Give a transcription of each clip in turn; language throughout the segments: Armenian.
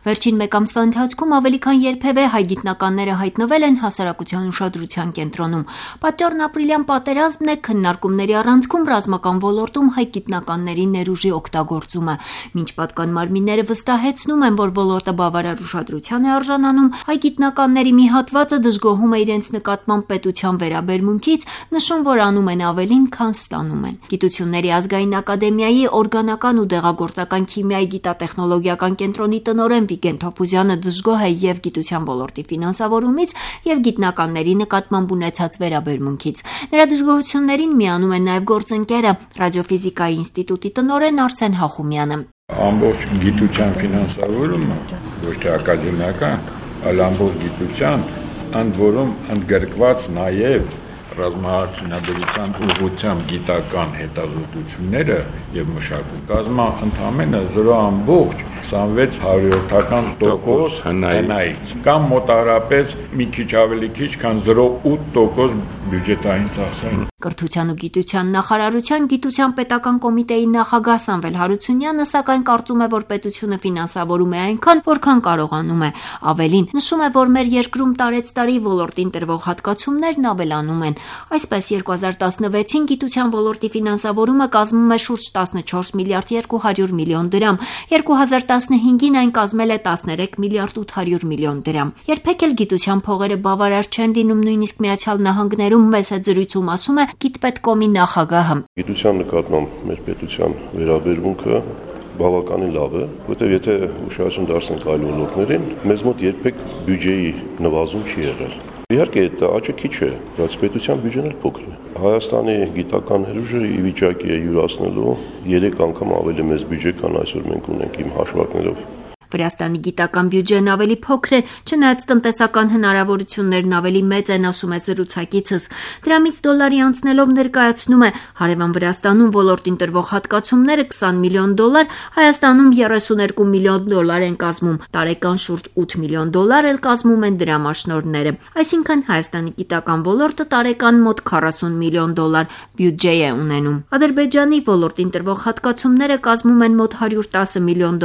Վերջին մեկ ամսվա ընթացքում ավելի քան երբևէ հայ գիտնականները հայտնվել են հասարակության ուշադրության կենտրոնում։ Պատճառն ապրիլյան պատերազմն է, քննարկումների առանցքում ռազմական ոլորտում հայ գիտնականների ներուժի օգտագործումը։ Մինչ պատկան մարմինները վստահեցնում են, որ ոլորտը բավարար ուշադրության է արժանանում, հայ գիտնականների մի հատվածը դժգոհում է իրենց նկատմամբ պետության վերաբերմունքից, նշում, որ անում են ավելին, քան ստանում են։ Գիտությունների ազգային ակադեմիայի օրգանական ու դեղագործական քիմիայի գիտատեխնոլոգիական կենտրոնի տնօրեն Վիգեն Թոփուզյանը դժգոհ է եւ գիտության ոլորտի ֆինանսավորումից եւ գիտնականների նկատմամբ ունեցած վերաբերմունքից։ Նրա դժգոհություններին միանում է նաեւ գործընկերը ռադիոֆիզիկայի ինստիտուտի տնօրեն Արսեն Հախումյանը։ Ամբողջ գիտության ֆինանսավորումը ոչ թե ակադեմիական, այլ ամբողջ գիտության, ընդ որում ընդգրկված նաեւ ռազմահարցությունների ուղղությամբ գիտական հետազոտությունները եւ մշակում կազմա ընդամենը 0.26% հնայից կամ մոտավորապես մի քիչ ավելի քիչ, քան 0.8% բյուջետային ծախսերին։ Կրթության ու գիտության նախարարության գիտության պետական կոմիտեի նախագահ Սամվել Հարությունյանը սակայն կարծում է, որ պետությունը ֆինանսավորում է այնքան, որքան կարողանում է։ Ավելին, նշում է, որ մեր երկրում տարեցտարի ոլորտին տրվող հատկացումներն ավելանում են։ Այսպես 2016-ին գիտության ոլորտի ֆինանսավորումը կազմում է շուրջ 14 միլիարդ 200 միլիոն դրամ, 2015-ին այն կազմել է 13 միլիարդ 800 միլիոն դրամ։ Երբեք էլ գիտության փողերը բավարար չեն լինում, նույնիսկ Միացյալ Նահանգներում մեծ զրույցում ասում է Գիտպետկոմի նախագահը։ Գիտության նկատմամբ մեր պետության վերաբերմունքը բավականին լավ է, որտեղ եթե ուշադրություն դարձնենք այլ ոլորտներին, մեզ մոտ երբեք բյուջեի նվազում չի եղել։ Իհարկե, դա աճը քիչ է, բայց պետության բյուջեն էլ փոքր է։ Հայաստանի գիտական ներուժը ի վիճակի է յուրացնելու 3 անգամ ավելի մեծ բյուջե, քան այսօր մենք ունենք իմ հաշվարկներով։ Վրաստանի գիտական բյուջեն ավելի փոքր է, չնայած տնտեսական հնարավորություններն ավելի մեծ են, ասում է զրուցակիցս։ Դրամից դոլարի անցնելով ներկայացնում է հարևան Վրաստանում ոլորտին տրվող հատկացումները $20 միլիոն, Հայաստանում $32 միլիոն են կազմում, տարեկան շուրջ $8 միլիոն էլ կազմում են դրամաշնորհները։ Այսինքն Հայաստանի գիտական ոլորտը տարեկան մոտ $40 միլիոն բյուջե է ունենում։ Ադրբեջանի ոլորտին տրվող հատկացումները կազմում են մոտ $110 միլիոն,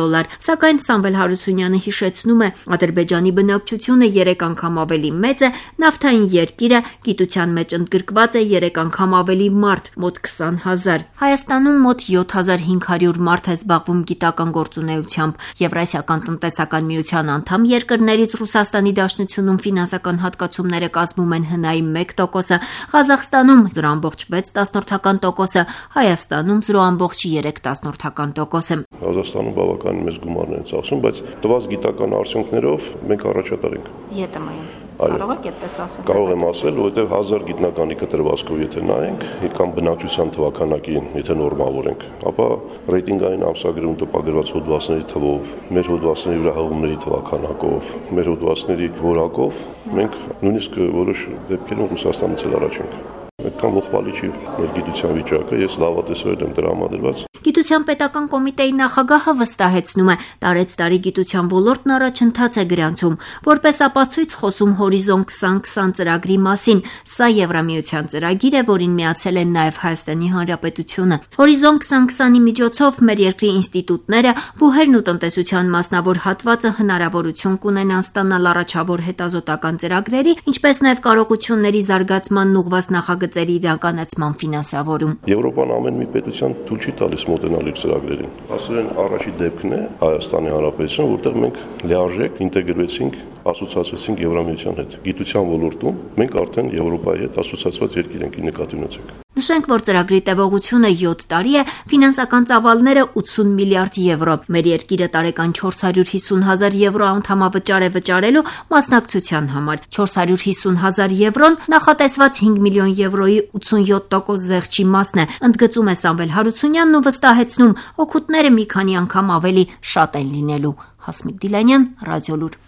սակայն Սամվել Հարությունյանը հիշեցնում է, Ադրբեջանի բնակչությունը 3 անգամ ավելի մեծ է, նավթային երկիր է, գիտության մեջ ընդգրկված է 3 անգամ ավելի մարդ, մոտ 20,000։ Հայաստանում մոտ 7500 մարդ է զբաղվում գիտական գործունեությամբ։ Եվրասիական տնտեսական միության անդամ երկրներից Ռուսաստանի Դաշնությունում ֆինանսական հատկացումները կազմում են հնայի 1%, Ղազախստանում 0.6%, Հայաստանում 0.3%։ Ղազախստանում բավականին մեծ գումարներ են ծախսում, բայց տված գիտական արդյունքներով մենք առաջատար ենք։ Ետմայում։ Կարող եք այդպես ասել։ Կարող եմ ասել, որովհետև 1000 գիտնականի կտրվածքով եթե նայենք, կամ բնակչության թվականակին, եթե նորմալորենք, ապա ռեյտինգային ամսագրում տպագրված հոդվածների թվով, մեր հոդվածների վրա հղումների թվականակով, մեր հոդվածների որակով մենք նույնիսկ որոշ դեպքերում Ռուսաստանից էլ առաջ ենք։ Այդքան ողբալի չի մեր գիտության վիճակը, ես լավատեսորեն եմ դրամադրված։ Գիտության պետական կոմիտեի նախագահը վստահեցնում է, տարեցտարի գիտության ոլորտն առաջընթաց է գրանցում, որպես ապացույց խոսում Հորիզոն 2020 ծրագրի մասին։ Սա Եվրամիության ծրագիր է, որին միացել են նաև Հայաստանի Հանրապետությունը։ Հորիզոն 2020-ի միջոցով մեր երկրի ինստիտուտները, բուհերն ու տնտեսության մասնավոր հատվածը հնարավորություն կունենան ստանալ առաջավոր հետազոտական ծրագրերի, ինչպես նաև կարողությունների զարգացմանն ուղղված նախագծերի իրականացման ֆինանսավորում։ Եվրոպան ամեն մի պետության թույլ չի տալիս մոտենալ իր ծրագրերին։ Ասեն առաջի դեպքն է Հայաստանի Հանրապետություն, որտեղ մենք լիարժեք ինտեգրվեցինք, ասոցիացվեցինք Եվրամիության հետ։ Գիտության ոլորտում մենք արդեն Եվրոպայի հետ ասոցիացված երկիր ենք, նկատի ունեցեք։ Նշենք, որ ծրագրի տևողությունը 7 տարի է, ֆինանսական ծավալները 80 միլիարդ եվրո։ Մեր երկիրը տարեկան 450,000 եվրո անդամավճար է վճարելու մասնակցության համար։ 450,000 եվրոն նախատեսված 5 միլիոն եվրոյի 87% զեղչի մասն է, ընդգծում է Սամվել Հարությունյանն ու վստահեցնում, օգուտները մի քանի անգամ ավելի շատ են լինելու։ Հասմիկ Դիլանյան, Ռադիոլուր։